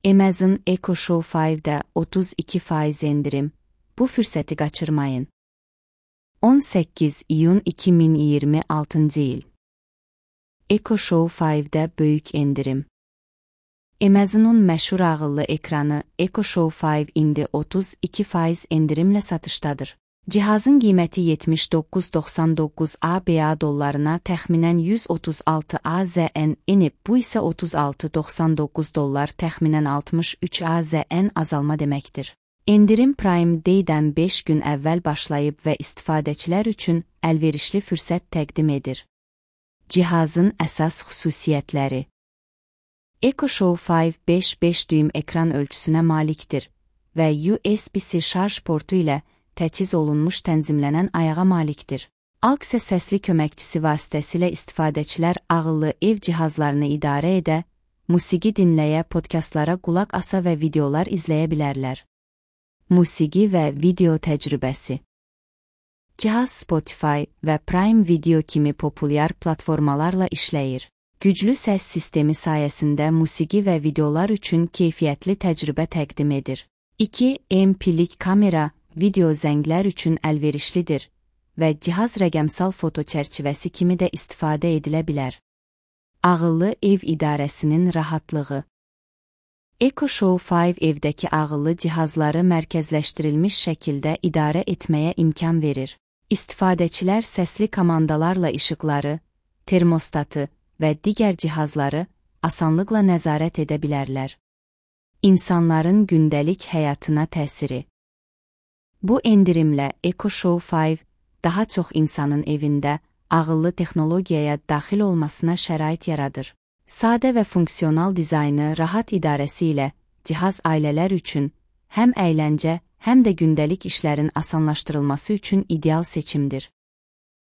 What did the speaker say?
Amazon Echo Show 5'də 32% endirim. Bu fürsəti qaçırmayın. 18 iyun 2026 il. Echo Show 5'də böyük endirim. Amazon'un məşhur ağıllı ekranı Echo Show 5 indi 32% endirimlə satışdadır. Cihazın qiyməti 79.99 ABA dollarına təxminən 136 AZN enib, bu isə 36.99 dollar təxminən 63 AZN azalma deməkdir. Endirim Prime Day-dən 5 gün əvvəl başlayıb və istifadəçilər üçün əlverişli fürsət təqdim edir. Cihazın əsas xüsusiyyətləri. Echo Show 5 5 düym ekran ölçüsünə malikdir və USB-C şarj portu ilə təchiz olunmuş tənzimlənən ayağa malikdir. AUX səsli köməkçisi vasitəsilə istifadəçilər ağıllı ev cihazlarını idarə edə, musiqi dinləyə, podkastlara qulaq asa və videolar izləyə bilərlər. Musiqi və video təcrübəsi. Cihaz Spotify və Prime Video kimi populyar platformalarla işləyir. Güclü səs sistemi sayəsində musiqi və videolar üçün keyfiyyətli təcrübə təqdim edir. 2 MP-lik kamera video zənglər üçün əlverişlidir və cihaz rəqəmsal foto çərçivəsi kimi də istifadə edilə bilər. Ağıllı ev idarəsinin rahatlığı. Echo Show 5 evdəki ağıllı cihazları mərkəzləşdirilmiş şəkildə idarə etməyə imkan verir. İstifadəçilər səsli komandalarla işıqları, termostatı və digər cihazları asanlıqla nəzarət edə bilərlər. İnsanların gündəlik həyatına təsiri. Bu endirimlə Echo Show 5 daha çox insanın evində ağıllı texnologiyaya daxil olmasına şərait yaradır. Sadə və funksional dizaynı, rahat idarəsi ilə cihaz ailələr üçün həm əyləncə, həm də gündəlik işlərin asanlaşdırılması üçün ideal seçimdir.